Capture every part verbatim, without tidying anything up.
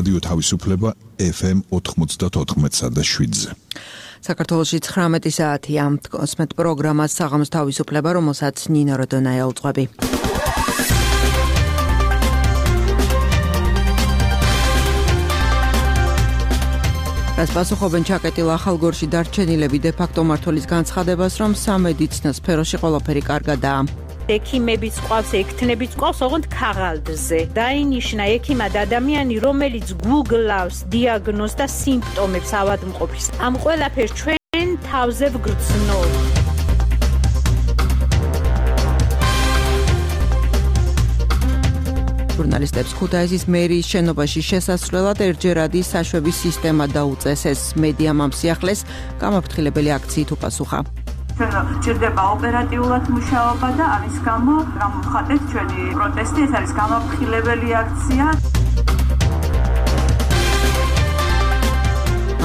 რადიო თავისუფლება ეფ ემ ოთხმოცდაოთხ და შვიდზე. საქართველოში ცხრამეტი საათია ოსმეთ პროგრამას საღამოს თავისუფლება, რომელსაც ნინო როდონაია უძღვები. რაც პასუხობენ ჩაკეტილ ახალგორში დარჩენილები დე-ფაქტო მმართველის განცხადებას, რომ სამედიცინო სფეროში ყველაფერი კარგადაა. ექიმებიც ყავს, ექთნებიც ყავს, ოღონდ ქაღალდზე. დაინიშნა ექიმად ადამიანი, რომელიც გუგლავს დიაგნოზს და სიმპტომებს ავადმყოფის. ამ ყველაფერს ჩვენ თავზე ვგრძნობ. ჟურნალისტებს ქუთაისის მერიის შენობაში შესასვლელად ერთჯერადი საშვების სისტემა დაუწესეს. მედიამ ამ სიახლეს გამაფრთხილებელი აქციით უპასუხა. ჭირდება ოპერატიულად მუშაობა და ამის გამო გამოვხატეთ ჩვენი პროტესტი, ეს არის გამაფრთხილებელი აქცია.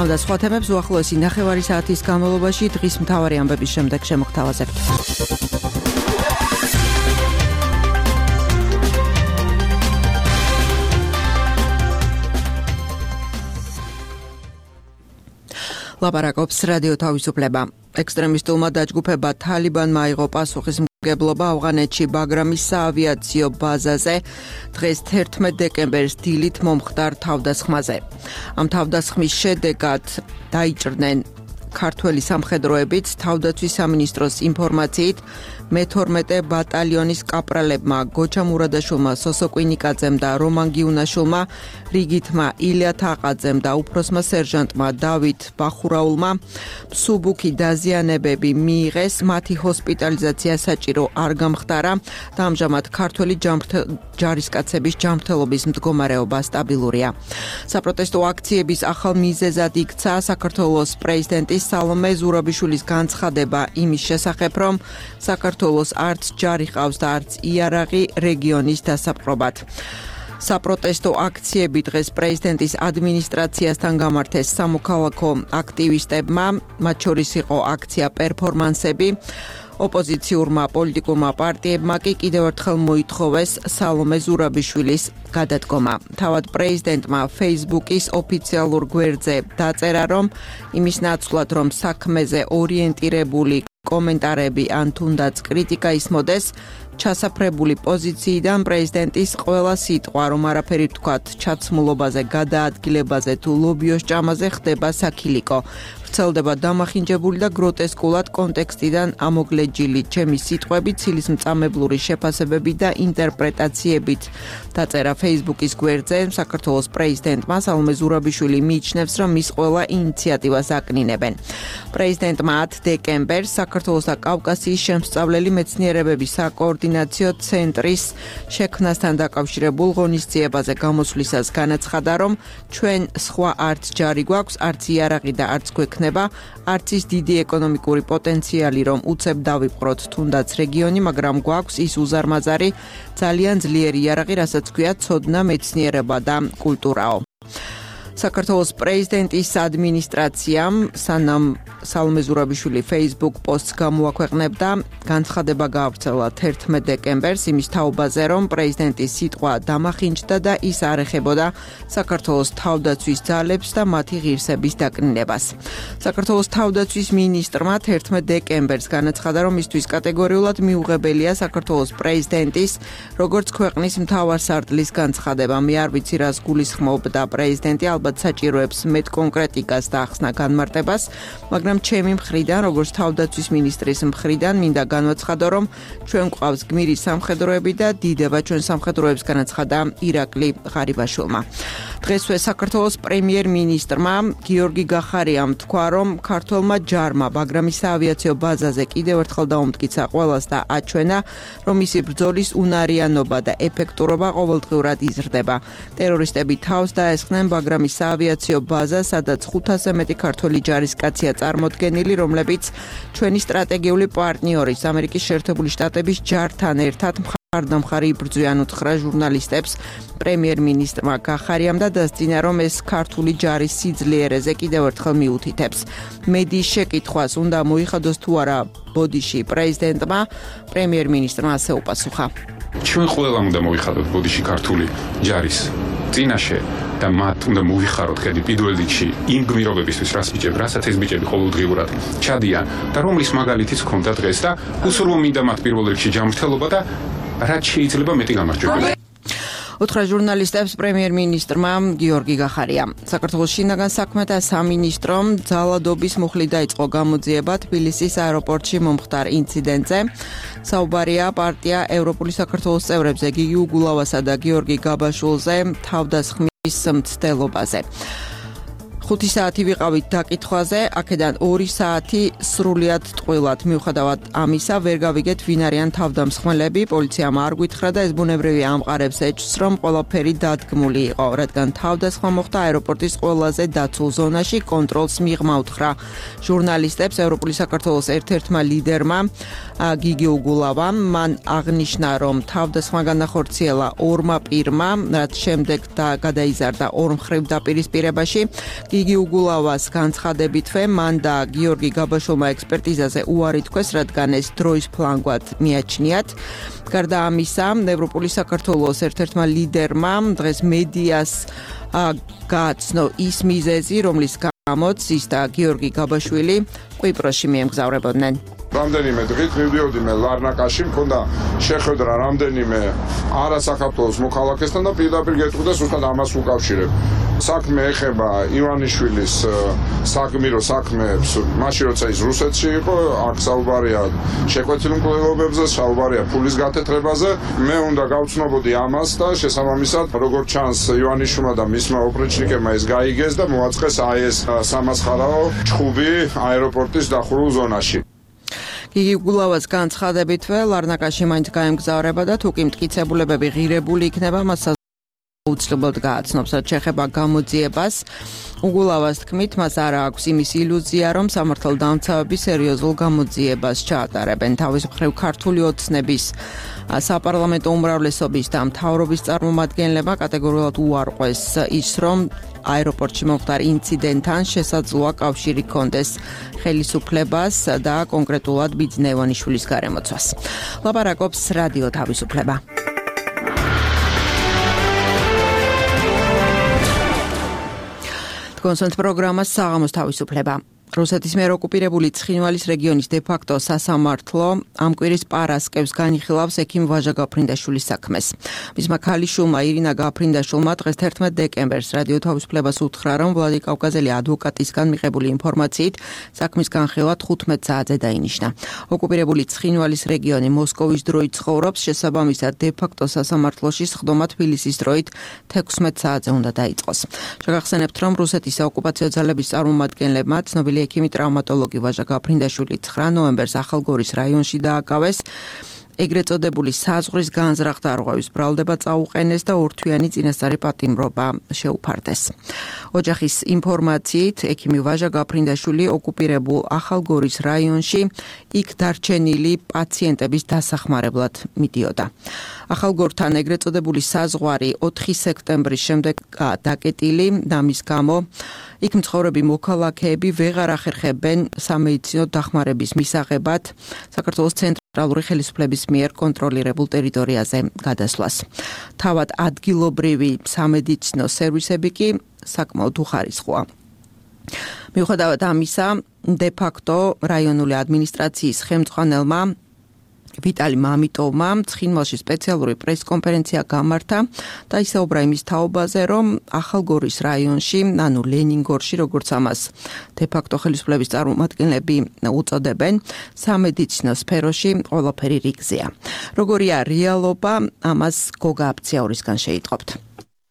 ამ და სხვა თემებს უახლოესი ნახევარი საათის განმავლობაში დღის მთავარი ამბების შემდეგ შემოგთავაზებთ. ლაპარაკობს რადიო თავისუფლება. ექსტრემისტულმა დაჯგუფება თალიბანმა აიღო პასუხისმგებლობა ავღანეთში ბაგრამის საავიაციო ბაზაზე დღეს თერთმეტ დეკემბერს დილით მომხდარ თავდასხმაზე. ამ თავდასხმის შედეგად დაიჭრნენ ქართველი სამხედროებიც. თავდაცვის სამინისტროს ინფორმაციით მეთორმეტე ბატალიონის კაპრალებმა გოჩა მურადაშვილმა, სოსო კვინიკაძემ და რომან გიუნაშვილმა, რიგითმა ილია თაყაძემ და უფროსმა სერჟანტმა დავით ბახურაულმა მსუბუქი დაზიანებები მიიღეს, მათი ჰოსპიტალიზაცია საჭირო არ გამხდარა და ამჟამად ქართველი ჯარისკაცების ჯანმრთელობის მდგომარეობა სტაბილურია. საპროტესტო აქციების ახალ მიზეზად იქცა საქართველოს პრეზიდენტის სალომე ზურაბიშვილის განცხადება იმის შესახებ, რომ საქართველოს არც ჯარი ყავს და არც იარაღი რეგიონის დასაპყრობად. საპროტესტო აქციები დღეს პრეზიდენტის ადმინისტრაციასთან გამართეს სამოქალაქო აქტივისტებმა, მათ შორის იყო აქცია პერფორმანსები. ოპოზიციურმა პოლიტიკურმა პარტიებმა კი კიდევ ერთხელ მოითხოვეს სალომე ზურაბიშვილის გადადგომა. თავად პრეზიდენტმა ფეისბუქის ოფიციალურ გვერდზე დაწერა, რომ იმის ნაცვლად, რომ საქმეზე ორიენტირებული კომენტარები ან თუნდაც კრიტიკა ისმოდეს, ჩასაფრებული პოზიციიდან პრეზიდენტის ყველა სიტყვა, რომ არაფერი თქვათ ჩაცმულობაზე, გადაადგილებაზე თუ ლობიოს ჭამაზე ხდება საქილიკო. ვრცელდება დამახინჯებული და გროტესკულად კონტექსტიდან ამოგლეჯილი ჩემი სიტყვები ცილისმწამებლური შეფასებები და ინტერპრეტაციებით. დაწერა ფეისბუქის გვერდზე. საქართველოს პრეზიდენტმა სალომე ზურაბიშვილი მიიჩნევს, რომ მის ყველა ინიციატივას აკნინებენ. პრეზიდენტმა ათ დეკემბერს საქართველოს და კავკასიის შემსწავლელი მეცნიერებების საკოორდინაციო ცენტრის შექმნასთან დაკავშირებულ ღონისძიებაზე გამოსვლისას განაცხადა, რომ ჩვენ სხვა არც ჯარი გვაქვს, არც იარაღი და არც გვექნება, არც ის დიდი ეკონომიკური პოტენციალი, რომ უცებ დავიპყროთ თუნდაც რეგიონი, მაგრამ გვაქვს ის უზარმაზარი, ძალიან ძლიერი იარაღი, რასაც ქვია ცოდნა, მეცნიერება და კულტურაო. საქართველოს პრეზიდენტის ადმინისტრაციამ სანამ სალომე ზურაბიშვილი Facebook პოსტს გამოაქვეყნებდა, განცხადება გაავრცელა თერთმეტ დეკემბერს იმის თაობაზე, რომ პრეზიდენტის სიტყვა დამახინჯდა და ის არ ეხებოდა საქართველოს თავდაცვის ძალებს და მათი ღირსების დაკნინებას. საქართველოს თავდაცვის მინისტრმა თერთმეტ დეკემბერს განაცხადა, რომ მისთვის კატეგორიულად მიუღებელია საქართველოს პრეზიდენტის, როგორც ქვეყნის მთავარსარდლის განცხადება. მე არ ვიცი, რას გულისხმობდა პრეზიდენტი, ალბათ საჭიროებს მეტ კონკრეტიკას და ახსნა განმარტებას, მაგრამ ჩემი მხრიდან, როგორც თავდაცვის მინისტრის მხრიდან, მინდა განვაცხადო, რომ ჩვენ გვყავს გმირი სამხედროები და დიდება ჩვენ სამხედროებს, განაცხადა ირაკლი ღარიბაშვილმა. დღესვე საქართველოს პრემიერ-მინისტრმა გიორგი გახარიამ თქვა, რომ ქართველმა ჯარმა ბაგრამის საავიაციო ბაზაზე კიდევ ერთხელ დაუმტკიცა ყველას და აჩვენა, რომ მისი ბრძოლის უნარიანობა და ეფექტურობა ყოველდღიურად იზრდება. ტერორისტები თავს დაესხნენ ბაგრამის საავიაციო ბაზა, სადაც ხუთასზე მეტი ქართველი ჯარისკაცია წარმოდგენილი, რომლებიც ჩვენი სტრატეგიული პარტნიორის ამერიკის შეერთებული შტატების ჯართან ერთად მხარდამხარი იბრძვიან, უთხრა ჟურნალისტებს პრემიერ-მინისტრმა გახარიამ და დასძინა, რომ ეს ქართული ჯარის სიძლიერეზე კიდევ ერთხელ მიუთითებს. მედიის შეკითხვას უნდა მოიხადოს თუ არა ბოდიში პრეზიდენტმა, პრემიერ-მინისტრმა ასე უპასუხა. ჩვენ ყველა უნდა მოიხადოთ ბოდიში ქართული ჯარის წინაშე და მათ უნდა მოვიხაროთ ხედი პირველ რიგში იმ გმირობებისთვის, რაც ბიჭები, რასაც ეს ბიჭები ყოველდღიურად ჩადიან და რომლის მაგალითიც ჰქონდა დღეს და უსურვო მინდა მათ პირველ რიგში ჯანმრთელობა და რაც შეიძლება მეტი გამარჯვება. უთხრა ჟურნალისტებს პრემიერ-მინისტრმა გიორგი გახარია. საქართველოს შინაგან საქმეთა სამინისტრომ ძალადობის მუხლით დაიწყო გამოძიება თბილისის აეროპორტში მომხდარ ინციდენტზე. საუბარია პარტია ევროპული საქართველოს წევრებზე გიგი უგულავასა და გიორგი გაბაშვილზე თავდასხმის მცდელობაზე. ხუთი საათი ვიყავით დაკითხვაზე, აქედან ორი საათი სრულიად ტყუილად. მიუხედავად ამისა, ვერ გავიგეთ ვინ არიან თავდამსხმელები, პოლიციამ არ გვითხრა და ეს ბუნებრივი ამყარებს ეჭვს, რომ ყველაფერი დადგმული იყო, რადგან თავდასხმა მოხდა აეროპორტის ყველაზე დაცულ ზონაში, კონტროლს მიღმა უთხრა ჟურნალისტებს ევროპული საქართველოს ერთ-ერთმა ლიდერმა გიგი უგულავამ. მან აღნიშნა, რომ თავდასხმა განახორციელა ორმა პირმა, რაც შემდეგ და გადაიზარდა ორმხრივ დაპირისპირებაში. გიგი უგულავას განცხადებითვე მან და გიორგი გაბაშვილმა ექსპერტიზაზე უარი თქვეს, რადგან ეს დროის ფლანგვად მიაჩნიათ. გარდა ამისა, ევროპული საქართველოს ერთ-ერთმა ლიდერმა დღეს მედიას გააცნო ის მიზეზი, რომლის გამოც ის და გიორგი გაბაშვილი კვიპროსში მიემგზავრებოდნენ. რამდენიმე დღით მივდიოდი მე ლარნაკაში, მქონდა შეხვედრა რამდენიმე არასახელმწიფო მოქალაქესთან და პირდაპირ გეტყვი ზუსტად ამას უკავშირებ. საქმე ეხება ივანიშვილის საგმირო საქმეებს, მაშინ როცა ის რუსეთში იყო, აქ საუბარია შეკვეთილ მკვლელობებზე, საუბარია ფულის გათეთრებაზე. მე უნდა გავცნობოდი ამას და შესაბამისად, როგორც ჩანს, ივანიშვილმა და მისმა ოპრეჩნიკებმა ეს გაიგეს და მოაწყეს აი ეს სამასხარაო ჩხუბი აეროპორტის დახურულ ზონაში. გიგი უგულავას განცხადებითვე ლარნაკაში მაინც გაემგზავრება და თუ კი მტკიცებულებები ღირებული იქნება, მას უცნობად გააცნობს, რაც შეეხება გამოძიებას. უგულავას თქმით, მას არ აქვს იმის ილუზია, რომ სამართალდამცავები სერიოზულ გამოძიებას ჩაატარებენ. თავის მხრივ ქართული ოცნების საპარლამენტო უმრავლესობის და მთავრობის წარმომადგენლებმა კატეგორიულად უარყვეს ის, რომ აეროპორტში მომხდარ ინციდენტთან შესაძლოა კავშირი ჰქონდეს ხელისუფლებას და კონკრეტულად ბიძინა ივანიშვილის გარემოცვას. ლაპარაკობს რადიო თავისუფლება. კონსულტ პროგრამა საღამოს თავისუფლება. რუსეთის მიერ ოკუპირებული ცხინვალის რეგიონის დე-ფაქტო სასამართლო ამ კვირის პარასკევს განიხილავს ექიმ ვაჟა გაფრინდაშვილის საქმეს. მისმა ქალიშვილმა ირინა გაფრინდაშვილმა დღეს თერთმეტ დეკემბერს რადიო თავისუფლებას უთხრა, რომ ვლადიკავკაზელი ადვოკატისგან მიღებული ინფორმაციით საქმის განხილვა თხუთმეტ საათზე დაინიშნა. ოკუპირებული ცხინვალის რეგიონი მოსკოვის დროით ცხოვრობს, შესაბამისად დე-ფაქტო სასამართლოში სხდომა თბილისის დროით თექვსმეტ საათზე უნდა დაიწყოს. შეგახსენებთ, რომ რუსეთის საოკუპაციო ძალების წარმომადგენლებმა ცნობილი ექიმი ტრავმატოლოგი ვაჟა გაფრინდაშვილი ცხრა ნოემბერს ახალგორის რაიონში დააკავეს. ეგრეთ წოდებული საზღვრის განზრახ დარღვევის ბრალდება წაუყენეს და ორთვიანი წინასწარი პატიმრობა შეუფარდეს. ოჯახის ინფორმაციით, ექიმი ვაჟა გაფრინდაშვილი ოკუპირებულ ახალგორის რაიონში იქ დარჩენილი პაციენტების დასახმარებლად მიდიოდა. ახალგორთან ეგრეთ წოდებული საზღვარი ოთხი სექტემბრის შემდეგ დაკეტილი და მის გამო იქ მცხოვრები მოქალაქეები ვეღარ ახერხებენ სამედიცინო დახმარების მისაღებად საქართველოს ცენტრალური ხელისუფლების მიერ კონტროლირებულ ტერიტორიაზე გადასვლას. თავად ადგილობრივი სამედიცინო სერვისები კი საკმაოდ უხარისხოა. მიუხედავად ამისა, დე-ფაქტო რაიონული ადმინისტრაციის ხელმძღვანელმა ვიტალი მამიტოვმა ცხინვალში სპეციალური პრესკონფერენცია გამართა და ისაუბრა იმის თაობაზე, რომ ახალგორის რაიონში, ანუ ლენინგორში, როგორც ამას დე-ფაქტო ხელისუფლების წარმომადგენლები უწოდებენ, სამედიცინო სფეროში ყველაფერი რიგზეა. როგორია რეალობა, ამას გოგა აბციაურისგან შეიტყობთ.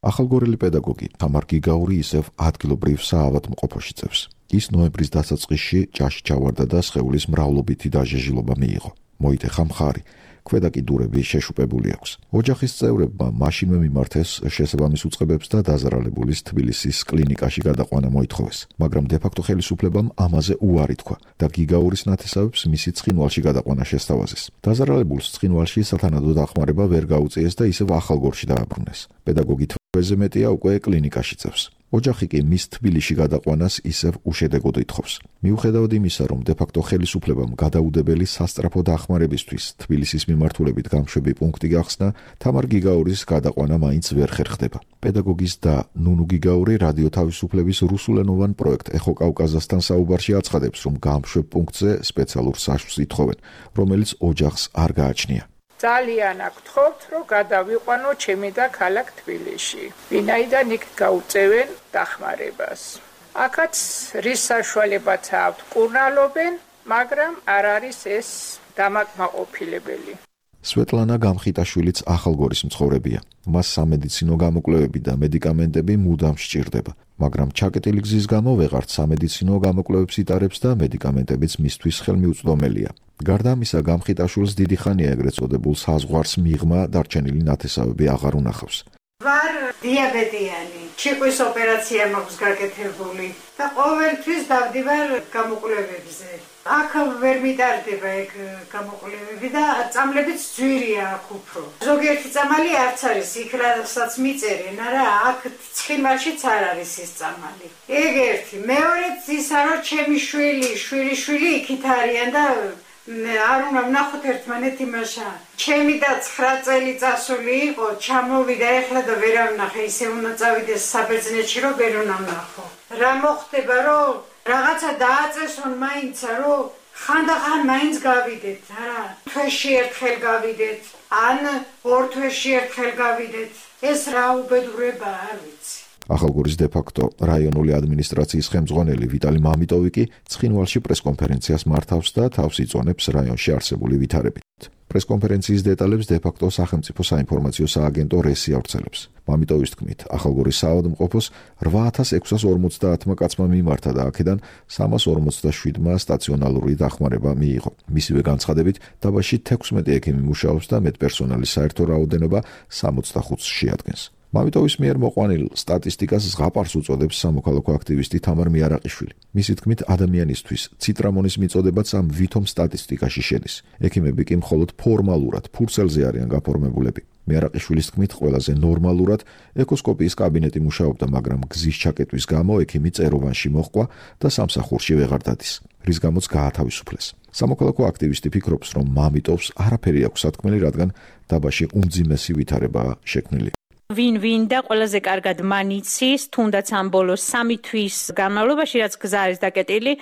ახალგორელი პედაგოგი თამარ გიგაური ისევ ადგილობრივ საავადმყოფოში წევს. ის ნოემბრის დასაწყისში ჭაში ჩავარდა და სხეულის მრავლობითი დაჟეჟილობა მიიღო. მოიტეხა მხარი, ქვედა კიდურები შეშუპებული აქვს. ოჯახის წევრებმა მაშინვე მიმართეს შესაბამის უწყებებს და დაზარალებულის თბილისის კლინიკაში გადაყვანა მოითხოვეს, მაგრამ დე-ფაქტო ხელისუფლებამ ამაზე უარი თქვა და გიგაურის ნათესავებს მისი ცხინვალში გადაყვანა შესთავაზეს. დაზარალებულს ცხინვალში სათანადო დახმარება ვერ გაუწიეს და ისევ ახალგორში დააბრუნეს. პედაგოგი თვეზე მეტია უკვე კლინიკაში წევს. ოჯახი კი მის თბილისში გადაყვანას ისევ უშედეგოდ ითხოვს. მიუხედავად იმისა, რომ დე-ფაქტო ხელისუფლებამ გადაუდებელი სასწრაფო დახმარებისთვის თბილისის მიმართულებით გამშვები პუნქტი გახსნა, თამარ გიგაურის გადაყვანა მაინც ვერ ხერხდება. პედაგოგის და ნუნუ გიგაური რადიო თავისუფლების რუსულენოვან პროექტ ეხო კავკაზასთან საუბარში აცხადებს, რომ გამშვებ პუნქტზე სპეციალურ საშუს ითხოვენ, რომელიც ოჯახს არ გააჩნია. ძალიან აგთხოვთ, რომ გადავიყვანო ჩემი და ქალაქ თბილისში. ვინაიდან იქ გაუწევენ დახმარებას. აქაც რის საშუალებაც აქვთ კურნალობენ, მაგრამ არ არის ეს დამაკმაყოფილებელი. სვეტლანა გამხიტაშვილიც ახალგორის მცხოვრებია. მას სამედიცინო გამოკვლევები და მედიკამენტები მუდამ სჭირდება, მაგრამ ჩაკეტილი გზის გამო ვეღარც სამედიცინო გამოკვლევებს იტარებს და მედიკამენტებიც მისთვის ხელმიუწვდომელია. გარდა ამისა, გამხიტაშვილს დიდი ხანია ეგრეთ წოდებულ საზღვარს მიღმა დარჩენილი ნათესავები აღარ უნახავს. ვარ დიაბეტიანი, ჩიყვის ოპერაცია მაქვს გაკეთებული და ყოველთვის დავდივარ გამოკვლევებზე. აქ ვერ მიტარდება ეგ გამოკვლევები და წამლებიც ძვირია აქ უფრო. ზოგიერთი წამალი არც არის, იქ რასაც მიწერენ, არა, აქ ცხიმაშიც არ არის ის წამალი. ეგ ერთი, მეორეც ისა, რომ ჩემი შვილი, შვილი შვილი იქით არიან და არ უნდა ვნახოთ ერთმანეთ იმაშა. ჩემი და ცხრა წელი წასული იყო, ჩამოვიდა ეხლა და ვერ ავნახე, ისე უნდა წავიდეს საბერძნეთში, რომ ვერ უნდა ვნახო. რა მოხდება, რომ რაღაცა დააწესონ მაინცა, რომ ხანდახან მაინც გავიდეთ, არა, თვეში ერთხელ გავიდეთ, ან ორ თვეში ერთხელ გავიდეთ. ეს რა უბედურება, არ ვიცი. ახალგორის დე-ფაქტო რაიონული ადმინისტრაციის ხელმძღვანელი ვიტალი მამიტოვი კი ცხინვალში პრესკონფერენციას მართავს და თავს იწონებს რაიონში არსებული ვითარებით. პრესკონფერენციის დეტალებს დე-ფაქტო სახელმწიფო საინფორმაციო სააგენტო რესი ავრცელებს. მამიტოვის თქმით, ახალგორის საავადმყოფოს რვა ათას ექვსას ორმოცდაათმა კაცმა მიმართა და აქედან სამას ორმოცდაშვიდმა სტაციონალური დახმარება მიიღო. მისივე განცხადებით, დაბაში თექვსმეტი ექიმი მუშაობს და მეტპერსონალის საერთო რაოდენობა სამოცდახუთს შეადგენს. მამიტოვის მიერ მოყვანილ სტატისტიკას ზღაპარს უწოდებს სამოქალაქო აქტივისტი თამარ მიარაყიშვილი. მისი თქმით, ადამიანისთვის ციტრამონის მიწოდებაც ამ ვითომ სტატისტიკაში შედის. ექიმები კი მხოლოდ ფორმალურად ფურცელზე არიან გაფორმებულები. მიარაყიშვილის თქმით, ყველაზე ნორმალურად ეკოსკოპიის კაბინეტი მუშაობდა, მაგრამ გზის ჩაკეტვის გამო ექიმი წეროვანში მოჰყვა და სამსახურში ვეღარ დადის, რის გამოც გაათავისუფლეს. სამოქალაქო აქტივისტი ფიქრობს, რომ მამიტოვს არაფერი აქვს სათქმელი, რადგან დაბაში უმძიმესი ვითარებაა შექმნილი. ვინ-ვინ და ყველაზე კარგად მანიცის, თუნდაც ამ ბოლოს სამი თვის განმავლობაში, რაც გზა არის დაკეტილი,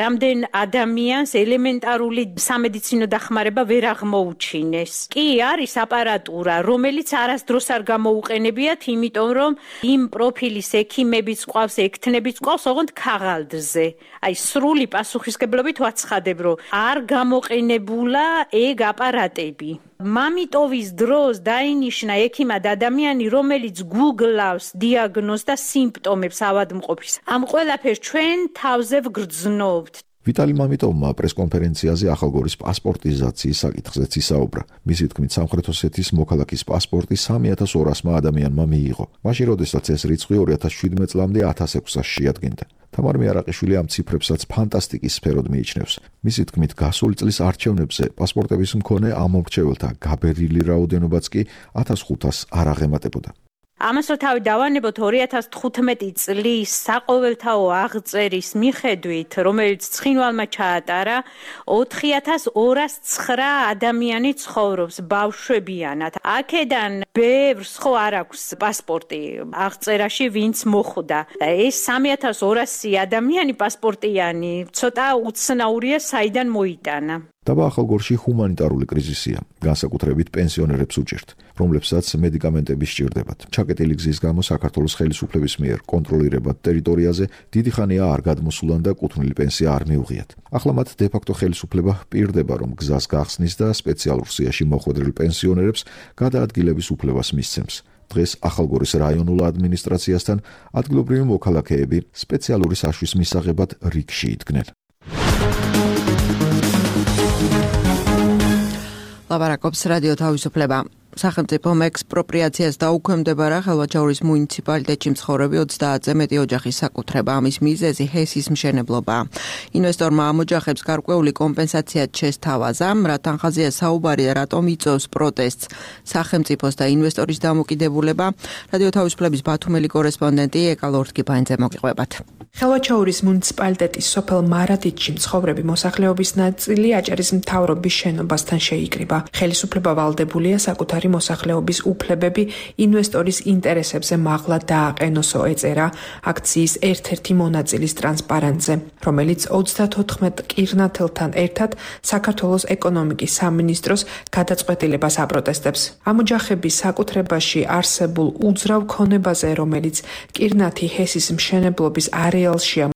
რამდენ ადამიანს ელემენტარული სამედიცინო დახმარება ვერ აღმოუჩინეს. კი არის აპარატურა, რომელიც არასდროს არ გამოუყენებიათ, იმიტომ რომ იმ პროფილის ექიმებიც ყავს, ექთნებიც ყავს, ოღონდ ქაღალდზე. აი, სრული პასუხისგებლობით ვაცხადებ, რომ არ გამოყენებულა ეგ აპარატები. მამიტოვის დროს დაინიშნა ექიმად ადამიანი, რომელიც გუგლავს დიაგნოზს და სიმპტომებს ავადმყოფის. ამ ყველაფერს ჩვენ თავზე ვგრძნობთ. ვიტალი მამიტოვმა პრესკონფერენციაზე ახალგორის პასპორტიზაციის საკითხზეც ისაუბრა. მისი თქმით, სამხრეთ ოსეთის მოქალაქის პასპორტი სამი ათას ორასმა ადამიანმა მიიღო. მაშინ, როდესაც ეს რიცხვი ორი ათას შვიდმეტ წლამდე ათას ექვსას შეადგენდა. თამარ მიარაყიშვილი ამ ციფრებსაც ფანტასტიკის სფეროდ მიიჩნევს. მისი თქმით, გასული წლის არჩევნებზე პასპორტების მქონე ამომრჩეველთა გაბერილი რაოდენობაც კი ათას ხუთას არ აღემატებოდა. ამას რო თავი დავანებოთ ორი ათას თხუთმეტი წლის საყოველთაო აღწერის მიხედვით, რომელიც ცხინვალმა ჩაატარა, ოთხი ათას ორას ცხრა ადამიანი ცხოვრობს ბავშვებიანად. აქედან ბევრს ხო არ აქვს პასპორტი აღწერაში, ვინც მოხვდა. ეს სამი ათას ორასი ადამიანი პასპორტიანი ცოტა უცნაურია, საიდან მოიტანა. დაბა ახალგორში ჰუმანიტარული კრიზისია, განსაკუთრებით პენსიონერებს უჭირთ, რომლებსაც მედიკამენტები სჭირდებათ. ჩაკეტილი გზის გამო საქართველოს ხელისუფლების მიერ კონტროლირებად ტერიტორიაზე დიდი ხანია არ გადმოსულან და კუთვნილი პენსია არ მიუღიათ. ახლა მათ დე-ფაქტო ხელისუფლება პირდება, რომ გზას გახსნის და სპეციალურ სიაში მოხვედრილ პენსიონერებს გადაადგილების უფლებას მისცემს. დღეს ახალგორის რაიონულ ადმინისტრაციასთან ადგილობრივი მოქალაქეები სპეციალური საშვის მისაღებად რიგში იდგნენ. ლაპარაკობს რადიო თავისუფლება. სახელმწიფომ ექსპროპრიაციას დაუქვემდებარა ხელვაჩაურის მუნიციპალიტეტში მცხოვრები ოცდაათზე მეტი ოჯახის საკუთრება. ამის მიზეზი ჰესის მშენებლობაა. ინვესტორმა ამ ოჯახებს გარკვეული კომპენსაცია შესთავაზა, რა თანხაზეა საუბარი და რატომ იწვევს პროტესტს სახელმწიფოს და ინვესტორის დამოკიდებულება. რადიო თავისუფლების ბათუმელი კორესპონდენტი ეკა ლორთკიფანიძე მოგიყვებათ. ხელვაჩაურის მუნიციპალიტეტის სოფელ მარადიდში მცხოვრები მოსახლეობის ნაწილი აჭარის მთავრობის შენობასთან შეიკრიბა. ხელისუფლება ვალდებულია საკუთარი მოსახლეობის უფლებები ინვესტორის ინტერესებზე მაღლა დააყენოსო, ეწერა აქციის ერთ-ერთი მონაწილის ტრანსპარენტზე, რომელიც ოცდათოთხმეტ კირნათელთან ერთად საქართველოს ეკონომიკის სამინისტროს გადაწყვეტილებას აპროტესტებს. ამ ოჯახების საკუთრებაში არსებულ უძრავ ქონებაზე, რომელიც კირნათი ჰესის მშენებლობის არეალშია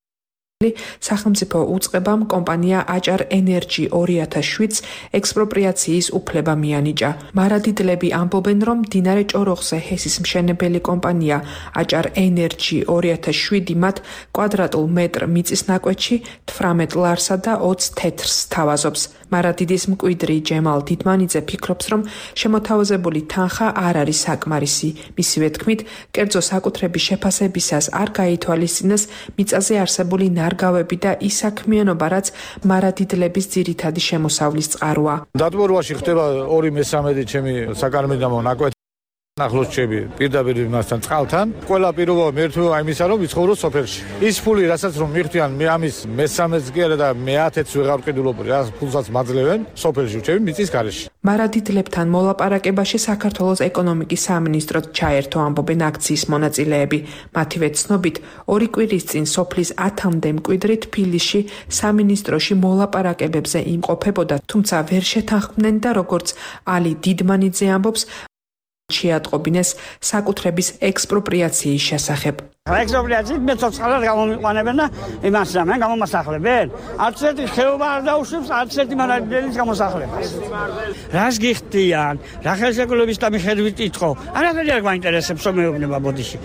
სახელმწიფო უწყებამ კომპანია აჭარ ენერჯი ორი ათას შვიდს ექსპროპრიაციის უფლება მიანიჭა. მარადიდლები ამბობენ, რომ მდინარე ჭოროხზე ჰესის მშენებელი კომპანია აჭარ ენერჯი ორი ათას შვიდი მათ კვადრატულ მეტრ მიწის ნაკვეთში თვრამეტ ლარსა და ოცი თეთრს თავაზობს. მარადიდის მკვიდრი ჯემალ დიდმანიძე ფიქრობს, რომ შემოთავაზებული თანხა არ არის საკმარისი. მისივე თქმით, კერძო საკუთრების შეფასებისას არ გაითვალისწინეს მიწაზე არსებული ნარგავები და ის საქმიანობა, რაც მარადიდლების ძირითადი შემოსავლის წყაროა. დატბორვაში ხდება ორი მესამედი ჩემი საკარმიდამო ნაკვეთი. ახლოს ჩები პირდაპირ მასთან წყალთან. ყველა პირობა მერთვევა იმისა, რომ ვიცხოვრო სოფელში. ის ფული, რასაც რომ მიხდიან, მე ამის მესამეც კი არა და მეათეც ვეღარ ვყიდულობ, რა ფულსაც მაძლევენ სოფელში ვჩები მიწის გარეშე. მარადიდლებთან მოლაპარაკებაში საქართველოს ეკონომიკის სამინისტროც ჩაერთო, ამბობენ აქციის მონაწილეები. მათივე ცნობით, ორი კვირის წინ სოფლის ათამდე მკვიდრი თბილისში სამინისტროში მოლაპარაკებებზე იმყოფებოდა, თუმცა ვერ შეთანხმდნენ და როგორც ალი დიდმანიძე ამბობს, შეატყობინეს საკუთრების ექსპროპრიაციის შესახებ. ექსპროპრიაციით მეცოცხლად გამომიყვანებენ და იმას ამენ გამომასახლებენ. არც ერთი ხეობა არ დაუშვებს არც ერთი მარადიდელის გამოსახლებას. რას გიხდიან? რა ხელშეკრულების და მიხედვით იტყო? არაფერი არ გვაინტერესებს რომ მეუბნება ბოდიში.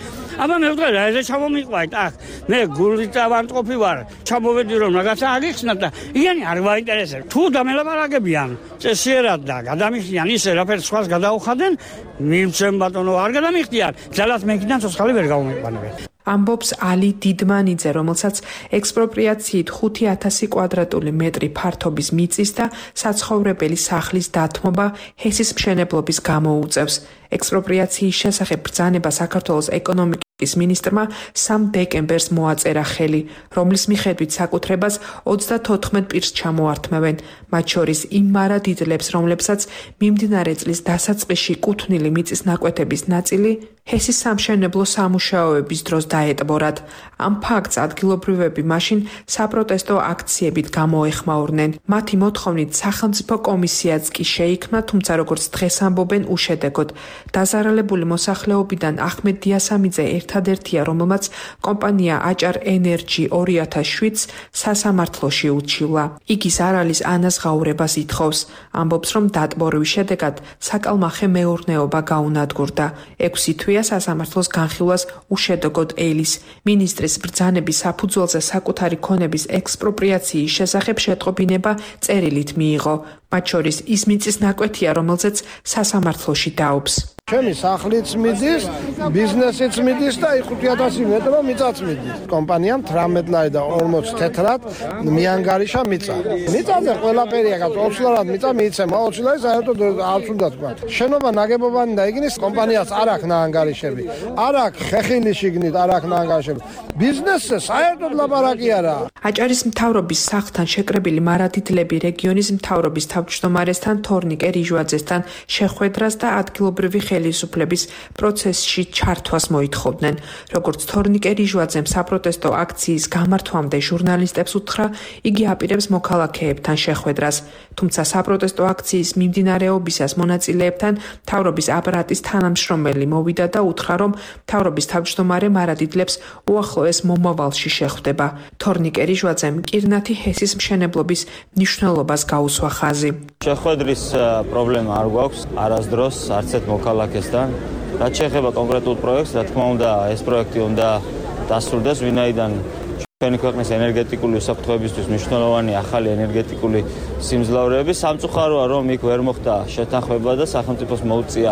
აბა მე ვთქვი რა ესე ჩამომიყვანეთ. ახ მე გულით ავანტყოფი ვარ. ჩამოვედი რომ რაღაცა აგიხსნათ და იანი არ გვაინტერესებს. თუ დამელაპარაკებიან წესიერად და გადამიხდიან ისე რაფერს სხვას გადაუხადნენ, მიმცემ ბატონო არ გადამიხდიან. ძალად მეკიდან ცოცხალი ვერ გამომიყვანებენ. ამბობს ალი დიდმანიძე, რომელსაც ექსპროპრიაციით ხუთი ათასი კვადრატული მეტრი ფართობის მიწის და საცხოვრებელი სახლის დათმობა ჰესის მშენებლობის გამოუწევს. ექსპროპრიაციის შესახებ ბრძანება საქართველოს ეკონომიკის მინისტრმა სამ დეკემბერს მოაწერა ხელი, რომლის მიხედვით საკუთრებას ოცდათოთხმეტ პირს ჩამოართმევენ, მათ შორის იმ მარადიდლებს, რომლებსაც მიმდინარე წლის დასაწყისში კუთვნილი მიწის ნაკვეთების ნაწილი ჰესის სამშენებლო სამუშაოების დროს დაეტბორათ. ამ ფაქტს ადგილობრივები მაშინ საპროტესტო აქციებით გამოეხმაურნენ. მათი მოთხოვნით სახელმწიფო კომისიაც კი შეიქმნა, თუმცა როგორც დღეს ამბობენ, უშედეგოდ. დაზარალებული მოსახლეობიდან ახმედ დიასამიძე ერთადერთია, რომელმაც კომპანია აჭარ ენერჯი ორი ათას შვიდს სასამართლოში უჩივლა. იგი ზარალის ანაზღაურებას ითხოვს. ამბობს, რომ დატბორვის შედეგად საკალმახე მეურნეობა გაუნადგურდა. ექვსი თვეა სასამართლოს განხილვას უშედეგოდ ელის. მინისტრის ბრძანების საფუძველზე საკუთარი ქონების ექსპროპრიაციის შესახებ შეტყობინება წერილით მიიღო. მათ შორის ის მიწის ნაკვეთია, რომელზეც სასამართლოში დაობს. ჩემი სახლიც მიდის, ბიზნესიც მიდის და ხუთი ათასი მეტრო მიწაც მიდის. კომპანიამ თვრამეტ ლარი და ორმოცი თეთრად მიანგარიშა მიწა. მიწაზე ყველაფერია, ოცლარად მიწა მიიცემა, ოცი ლარი საერთოდ არც უნდა თქვა. შენობა ნაგებობანი და იგნის კომპანიას არ აქვს ნაანგარიშები. არ აქვს ხეხილი შიგნით, არ აქვს ნაანგარიშები. ბიზნესზე საერთოდ ლაპარაკი არაა. აჭარის მთავრობის სახლთან შეკრებილი მარადიდლები რეგიონის მთავრობის თავმჯდომარესთან თორნიკე რიჟვაძესთან შეხვედრას და ადგილობრივი ხელისუფლების პროცესში ჩართვას მოითხოვდნენ. როგორც თორნიკე რიჟვაძემ საპროტესტო აქციის გამართვამდე ჟურნალისტებს უთხრა, იგი აპირებს მოქალაქეებთან შეხვედრას. თუმცა საპროტესტო აქციის მიმდინარეობისას მონაწილეებთან მთავრობის აპარატის თანამშრომელი მოვიდა და უთხრა, რომ მთავრობის თავმჯდომარე მარადიდლებს უახლოეს მომავალში შეხვდება. თორნიკე რიჟვაძემ კირნათი ჰესის მშენებლობის მნიშვნელობას გაუსვა ხაზი. შეხვედრის პრობლემა არ გვაქვს არასდროს არც ერთ მოქალაქესთან. რაც შეეხება კონკრეტულ პროექტს, რა თქმა უნდა, ეს პროექტი უნდა დასრულდეს, ვინაიდან ჩვენი ქვეყნის ენერგეტიკული უსაფრთხოებისთვის მნიშვნელოვანი ახალი ენერგეტიკული სიმძლავრეები. სამწუხაროა, რომ იქ ვერ მოხდა შეთანხმება და სახელმწიფოს მოუწია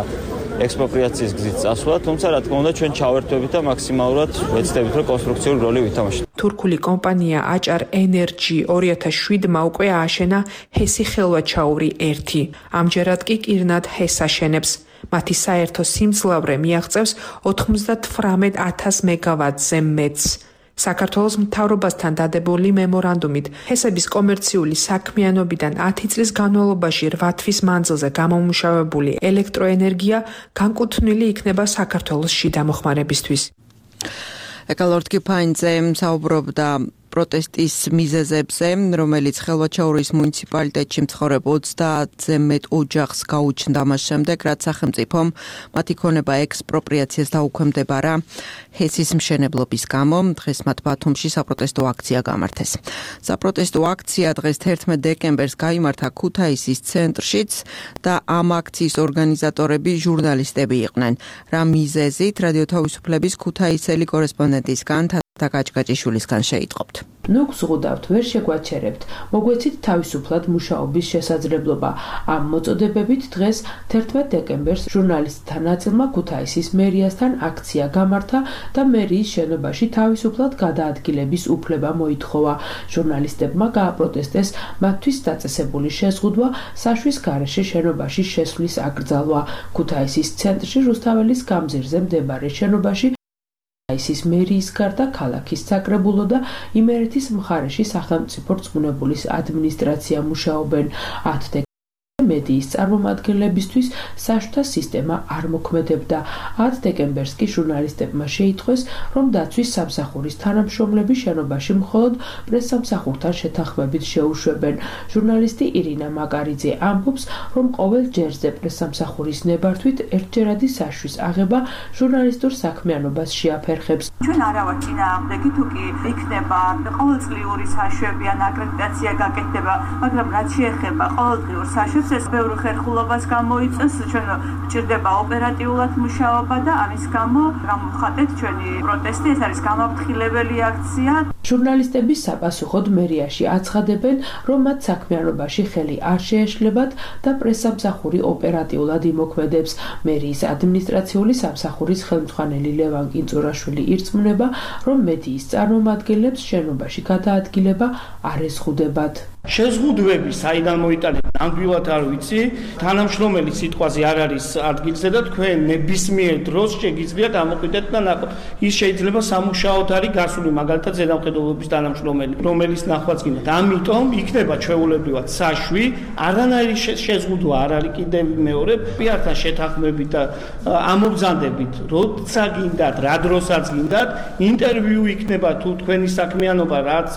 ექსპროპრიაციის გზით წასვლა, თუმცა რა თქმა უნდა ჩვენ ჩავერთვებით და მაქსიმალურად ვეცდებით, რომ კონსტრუქციული როლი ვითამაშოთ. თურქული კომპანია აჭარ ენერჯი ორი ათას შვიდმა უკვე ააშენა ჰესი ხელვაჩაური ერთი. ამჯერად კი კირნად ჰეს აშენებს. მათი საერთო სიმძლავრე მიაღწევს ოცდათვრამეტ ათას მეგავატზე მეტს. საქართველოს მთავრობასთან დადებული მემორანდუმით ჰესების კომერციული საქმიანობიდან ათი წლის განმავლობაში რვა თვის მანძილზე გამომუშავებული ელექტროენერგია განკუთვნილი იქნება საქართველოს შიდა მოხმარებისთვის. ეკალორდ კიფაინძე საუბრობდა პროტესტის მიზეზებზე, რომელიც ხელვაჩაურის მუნიციპალიტეტში მცხოვრებ ოცდაათზე მეტ ოჯახს გაუჩნდა მას შემდეგ, რაც სახელმწიფომ მათი ქონება ექსპროპრიაციას დაუქვემდებარა ჰესის მშენებლობის გამო. დღეს მათ ბათუმში საპროტესტო აქცია გამართეს. საპროტესტო აქცია დღეს თერთმეტ დეკემბერს გაიმართა ქუთაისის ცენტრშიც და ამ აქციის ორგანიზატორები ჟურნალისტები იყვნენ. რა მიზეზით რადიო თავისუფლების ქუთაისელი კორესპონდენტისგან თაკაჭკაჭიშვილისგან შეიტყობთ. ნუ გზღუდავთ, ვერ შეგვაჩერებთ, მოგვეცით თავისუფლად მუშაობის შესაძლებლობა. ამ მოწოდებებით დღეს თერთმეტ დეკემბერს ჟურნალისტთა ნაწილმა ქუთაისის მერიასთან აქცია გამართა და მერიის შენობაში თავისუფლად გადაადგილების უფლება მოითხოვა. ჟურნალისტებმა გააპროტესტეს მათთვის დაწესებული შეზღუდვა საშვის გარეშე შენობაში შესვლის აკრძალვა. ქუთაისის ცენტრში რუსთაველის გამზირზე მდებარე შენობაში ქუთაისის მერიის გარდა ქალაქის საკრებულო და იმერეთის მხარეში სახელმწიფო რწმუნებულის ადმინისტრაცია მუშაობენ. ათი მედიის წარმომადგენლებისთვის საშუთა სისტემა არ მოქმედებდა. ათი დეკემბერს კი ჟურნალისტებმა შეიტყვეს, რომ დაცვის სამსახურის თანამშრომლები შენობაში მხოლოდ პრესსამსახურთან შეთანხმებით შეუშვებენ. ჟურნალისტი ირინა მაკარიძე ამბობს, რომ ყოველ ჯერზე პრესსამსახურის ნებართვით ერთჯერადი საშვის აღება ჟურნალისტურ საქმიანობას შეაფერხებს. ჩვენ არა ვართ წინააღმდეგი, თუ კი იქნება ყოველწლიური საშვები ან აკრედიტაცია გაკეთდება, მაგრამ რაც შეეხება ყოველდღიურ საშვებს ეს ბევრი ხერხულობას გამოიწვევს, ჩვენ გვჭირდება ოპერატიულად მუშაობა და ამის გამო გამოვხატეთ ჩვენი პროტესტი, ეს არის გამაფრთხილებელი აქცია. ჟურნალისტების საპასუხოდ მერიაში აცხადებენ, რომ მათ საქმიანობაში ხელი არ შეეშლებათ და პრესსამსახური ოპერატიულად იმოქმედებს. მერიის ადმინისტრაციული სამსახურის ხელმძღვანელი ლევან კინწურაშვილი ირწმუნება, რომ მედიის წარმომადგენლებს შენობაში გადაადგილება არ ეზღუდებათ. შეზღუდვები საიდან მოიტანენ ნამდვილად არ ვიცი, თანამშრომელი სიტყვაზე არ არის ადგილზე და თქვენ ნებისმიერ დროს შეგიძლიათ ამოყიდეთ და ნახოთ. ის შეიძლება სამუშაოდ არის გასული, მაგალითად ზედამხედველობის თანამშრომელი, რომელიც ნახვაც გინდათ. ამიტომ იქნება ჩვეულებრივად საშვი, არანაირი შეზღუდვა არ არის კიდევ მეორე, პირთან შეთანხმებით და ამობრძანდებით, როცა გინდათ, რა დროსაც გინდათ, ინტერვიუ იქნება თუ თქვენი საქმიანობა რაც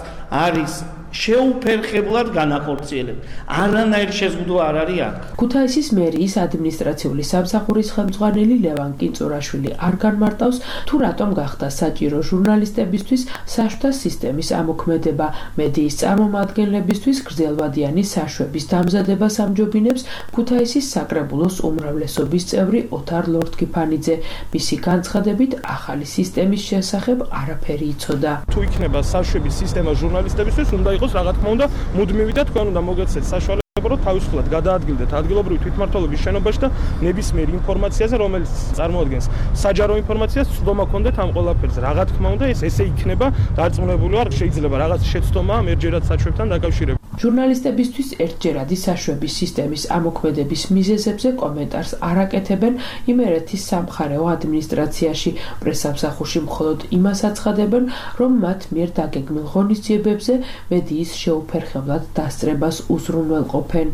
არის შეუფერხებლად განახორციელებ. არანაირი შეზღუდვა არ არის აქ. ქუთაისის მერიის ადმინისტრაციული სამსახურის ხელმძღვანელი ლევან კინწურაშვილი არ განმარტავს, თუ რატომ გახდა საჭირო ჟურნალისტებისთვის საშუთა სისტემის ამოქმედება. მედიის წარმომადგენლებისთვის გრძელვადიანი საშვების დამზადებას ამჯობინებს ქუთაისის საკრებულოს უმრავლესობის წევრი ოთარ ლორდკიფანიძე. მისი განცხადებით, ახალი სისტემის შესახებ არაფერი იცოდა. თუ იქნება საშვების სისტემა ჟურნალისტებისთვის, უნდა იყოს რა თქმა უნდა მუდმივი და თქვენ უნდა მოგეცეთ საშუალება, რომ თავისუფლად გადაადგილდეთ ადგილობრივი თვითმმართველობის შენობაში და ნებისმიერ ინფორმაციაზე, რომელიც წარმოადგენს საჯარო ინფორმაციას, ცდომა გქონდეთ ამ ყველაფერზე. რა თქმა უნდა ეს ესე იქნება დარწმუნებული ვარ, შეიძლება რაღაც შეცდომა ამერჯერად საშვებთან დაკავშირებით. ჟურნალისტებისთვის ერთჯერადი საშვების სისტემის ამოქმედების მიზეზებზე კომენტარს არ აკეთებენ იმერეთის სამხარეო ადმინისტრაციაში. პრესსამსახურში მხოლოდ იმას აცხადებენ, რომ მათ მიერ დაგეგმილ ღონისძიებებზე მედიის შეუფერხებლად დასწრებას უზრუნველყოფენ.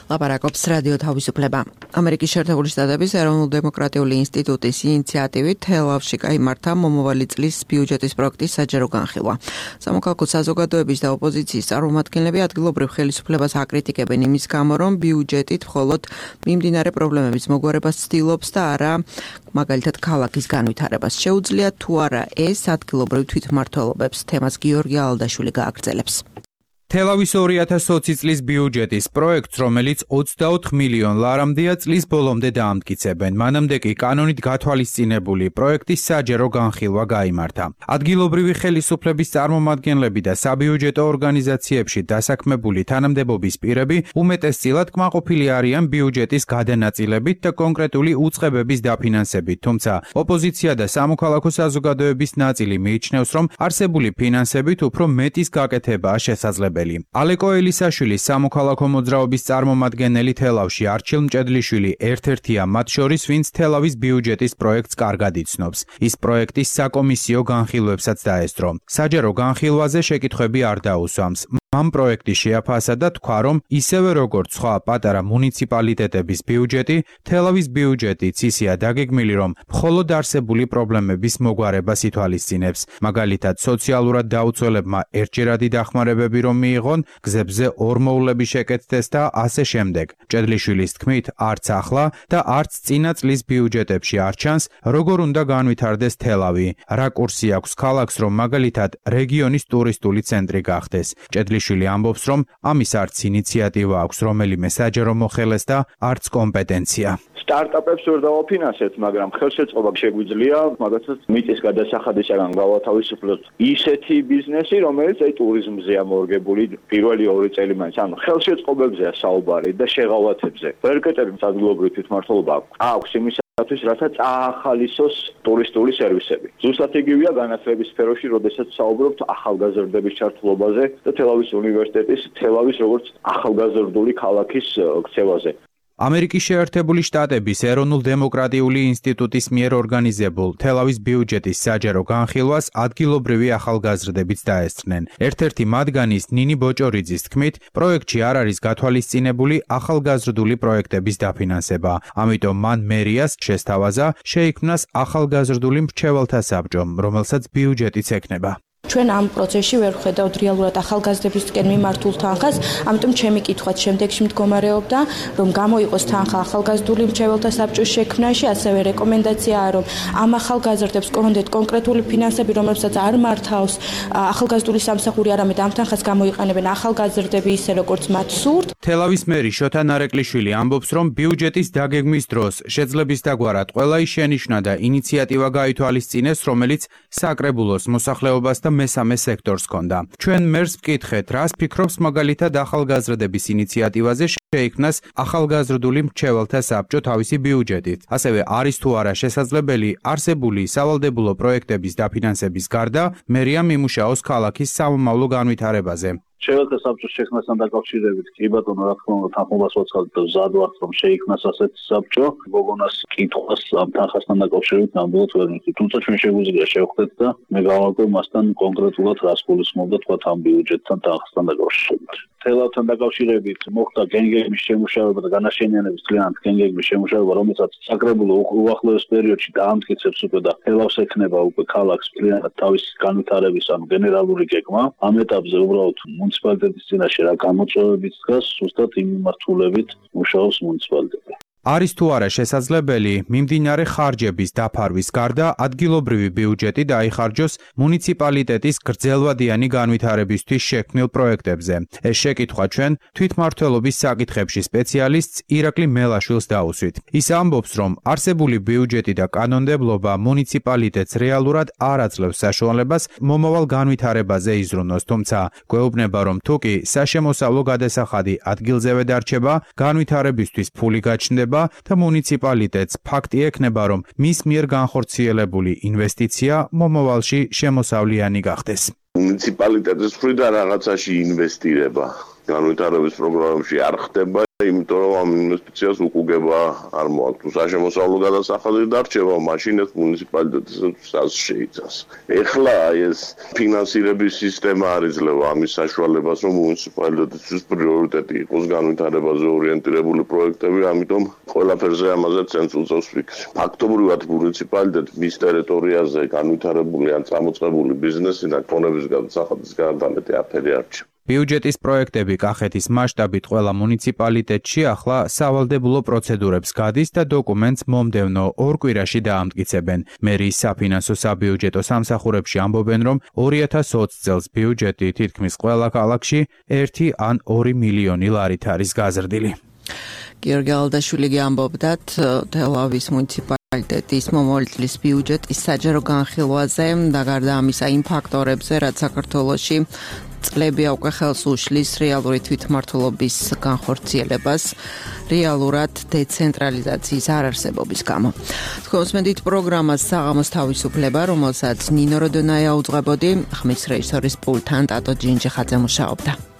ლაპარაკობს რადიო თავისუფლება. ამერიკის შეერთებული შტატების ეროვნულ-დემოკრატიული ინსტიტუტის ინიციატივით თელ-ავივში გაიმართა მომავალი წლის ბიუჯეტის პროექტის საჯარო განხილვა. სამოქალაქო საზოგადოების და ოპოზიციის წარმომადგენლები ადგილობრივ ხელისუფლებას აკრიტიკებენ იმის გამო, რომ ბიუჯეტით მხოლოდ მიმდინარე პრობლემების მოგვარებას ცდილობს და არა მაგალითად ქალაქის განვითარებას. შეუძლია თუ არა ეს ადგილობრივ თვითმმართველობებს. თემას გიორგი ალდაშვილი გააგრძელებს. თელავის ორი ათას ოცი წლის ბიუჯეტის პროექტს, რომელიც ოცდაოთხ მილიონ ლარამდეა, წლის ბოლომდე დაამტკიცებენ. მანამდე კი კანონით გათვალისწინებული პროექტის საჯარო განხილვა გაიმართა. ადგილობრივი ხელისუფლების წარმომადგენლები და საბიუჯეტო ორგანიზაციებში დასაქმებული თანამდებობის პირები უმეტესწილად კმაყოფილი არიან ბიუჯეტის გადანაწილებით და კონკრეტული უწყებების დაფინანსებით, თუმცა ოპოზიცია და სამოქალაქო საზოგადოების ნაწილი მიიჩნევს, რომ არსებული ფინანსებით უფრო მეტის გაკეთებაა შესაძლებელი. ალეკო ელისაშვილის სამოქალაქო მოძრაობის წარმომადგენელი თელავში არჩილ მჭედლიშვილი ერთ-ერთია მათ შორის, ვინც თელავის ბიუჯეტის პროექტს კარგად იცნობს. ის პროექტის საკომისიო განხილვებსაც დაესწრო. საჯარო განხილვაზე შეკითხვები არ დაუსვამს. ამ პროექტი შეაფასა და თქვა, რომ ისევე როგორც სხვა პატარა მუნიციპალიტეტების ბიუჯეტი, თელავის ბიუჯეტიც ისეა დაგეგმილი, რომ მხოლოდ არსებული პრობლემების მოგვარებას ითვალისწინებს. მაგალითად, სოციალურად დაუცველებმა ერთჯერადი დახმარებები რომ მიიღონ, გზებზე ორმოვლები შეკეთდეს და ასე შემდეგ. მჭედლიშვილის თქმით, არც ახლა და არც წინა წლის ბიუჯეტებში არ ჩანს, როგორ უნდა განვითარდეს თელავი, რა კურსი აქვს ქალაქს, რომ მაგალითად რეგიონის ტურისტული ცენტრი გახდეს. მჭედლიშვილი ამბობს, რომ ამის არც ინიციატივა აქვს რომელიმე საჯარო მოხელეს და არც კომპეტენცია. სტარტაპებს ვერ დავაფინანსებთ, მაგრამ ხელშეწყობა შეგვიძლია, მაგალითად მიწის გადასახადისაგან გავათავისუფლოთ ისეთი ბიზნესი, რომელიც აი ტურიზმზეა მორგებული პირველი ორი წელი მაინც, ანუ ხელშეწყობებზეა საუბარი და შეღავათებზე. ვერ გეტყვით ადგილობრივი თვითმმართველობა აქვს იმისათვის, რათა წაახალისოს ტურისტული სერვისები. ზუსტად იგივეა განათლების სფეროში, როდესაც საუბრობთ ახალგაზრდების ჩართულობაზე და თელავის უნივერსიტეტის თელავის როგორც ახალგაზრდული ქალაქის ქცევაზე. ამერიკის შეერთებული შტატების ეროვნულ დემოკრატიული ინსტიტუტის მიერ ორგანიზებულ თელავის ბიუჯეტის საჯარო განხილვას ადგილობრივი ახალგაზრდებიც დაესწრნენ. ერთ-ერთი მათგანის ნინი ბოჭორიძის თქმით, პროექტში არ არის გათვალისწინებული ახალგაზრდული პროექტების დაფინანსება. ამიტომ მან მერიას შესთავაზა შეიქმნას ახალგაზრდული მრჩეველთა საბჭო, რომელსაც ბიუჯეტიც ექნება. ჩვენ ამ პროცესში ვერ ვხედავთ რეალურად ახალგაზრდებისკენ მიმართულ თანხას, ამიტომ ჩემი კითხვაც შემდეგში მდგომარეობდა, რომ გამოიყოს თანხა ახალგაზრდული მრჩეველთა საბჭოს შექმნაში, ასევე რეკომენდაციაა, რომ ამ ახალგაზრდებს კონდეთ კონკრეტული ფინანსები, რომლებსაც არ მართავს ახალგაზრდული სამსახური, არამედ ამ თანხას გამოიყენებენ ახალგაზრდები ისე როგორც მათ სურთ. თელავის მერი შოთა ნარეკვლიშვილი ამბობს, რომ ბიუჯეტის დაგეგმვის დროს შეძლების დაგვარად ყველა ის შენიშვნა და ინიციატივა გაითვალისწინეს, რომელიც საკრებულოს მოსახლეობას და მესამე სექტორს ჰქონდა. ჩვენ მერს ვკითხეთ, რას ფიქრობს მაგალითად ახალგაზრდების ინიციატივაზე შეიქმნას ახალგაზრდული მრჩეველთა საბჭო თავისი ბიუჯეტით. ასევე არის თუ არა შესაძლებელი არსებული სავალდებულო პროექტების დაფინანსების გარდა მერიამ იმუშაოს ქალაქის სამომავლო განვითარებაზე. მრჩეველთა საბჭოს შექმნასთან დაკავშირებით კი ბატონო, რა თქმა უნდა, თანხმობას ვაცხადებ და მზად ვართ, რომ შეიქმნას ასეთი საბჭო. გოგონას კითხვას ამ თანხასთან დაკავშირებით ნამდვილად ვერ მივხვდი, თუმცა ჩვენ შეგვიძლია შევხვდეთ და მე გავაკეთებ მასთან კონკრეტულად რას გულისხმობდა თქვა ამ ბიუჯეტთან თანხასთან დაკავშირებით. თელავთან დაკავშირებით მოხდა გენგეგმის შემუშავება და განაშენიანების კლიანტ გენგეგმის შემუშავება, რომელსაც საკრებულო უახლოეს პერიოდში დაამტკიცებს უკვე და თელავს ექნება უკვე ქალაქს კლიანტად თავის განვითარების ანუ გენერალური გეგმა. ამ ეტაპზე უბრალოდ მუნიციპალიტეტის წინაშე რა გამოწვევებიც დგას, ზუსტად იმ მიმართულებით მუშაობს მუნიციპალიტეტი. არის თუ არა შესაძლებელი მიმდინარე ხარჯების დაფარვის გარდა ადგილობრივი ბიუჯეტი დაიხარჯოს მუნიციპალიტეტის გრძელვადიანი განვითარებისთვის შექმნილ პროექტებზე. ეს შეკითხვა ჩვენ თვითმმართველობის საკითხებში სპეციალისტს ირაკლი მელაშვილს დაუსვით. ის ამბობს, რომ არსებული ბიუჯეტი და კანონმდებლობა მუნიციპალიტეტს რეალურად არ აძლევს საშუალებას მომავალ განვითარებაზე იზრუნოს, თუმცა გვეუბნება, რომ თუკი საშემოსავლო გადასახადი ადგილზევე დარჩება, განვითარებისთვის ფული გაჩნდება და მუნიციპალიტეტს ფაქტი ექნება, რომ მის მიერ განხორციელებული ინვესტიცია მომავალში შემოსავლიანი გახდეს. მუნიციპალიტეტის მხრიდან რაღაცაში ინვესტირება განვითარების პროგრამებში არ ხდება, იმიტომ რომ ამ ინვესტიციას უკუგება არ მოაქვს. თუ საშემოსავლო გადასახადი დარჩება, მაშინ ეს მუნიციპალიტეტს შეიცავს. ეხლა ეს ფინანსირების სისტემა არ იძლევა ამის საშუალებას, რომ მუნიციპალიტეტისთვის პრიორიტეტი იყოს განვითარებაზე ორიენტირებული პროექტები, ამიტომ ყველაფერზე ამაზე ცენს უწევს ფიქრი. ფაქტობრივად მუნიციპალიტეტი მის ტერიტორიაზე განვითარებული ან წამოწყებული ბიზნესი და კონების გადასახადის გარდა მეტი არაფერი არ რჩება. ბიუჯეტის პროექტები კახეთის მასშტაბით ყველა მუნიციპალიტეტში ახლა სავალდებულო პროცედურებს გადის და დოკუმენტს მომდევნო ორ კვირაში დაამტკიცებენ. მერიის საფინანსო საბიუჯეტო სამსახურებში ამბობენ, რომ ორი ათას ოცი წელს ბიუჯეტი თითქმის ყველა ქალაქში ერთი ან ორი მილიონი ლარით არის გაზრდილი. გიორგი ალდაშვილი ამბობდა თელავის მუნიციპალიტეტის მომავალი წლის ბიუჯეტის საჯარო განხილვაზე და გარდა ამისა იმ ფაქტორებზე, რაც საქართველოში წლები უკვე ხელს უშლის რეალური თვითმმართველობის განხორციელებას, რეალურად დეცენტრალიზაციის არარსებობის გამო. თქვენსმენდით პროგრამას საღამოს თავისუფლება, რომელსაც ნინო როდონაია უძღვებოდი, ხმის რეჟისორის პულტთან ტატო ჯინჯიხაძე მუშაობდა.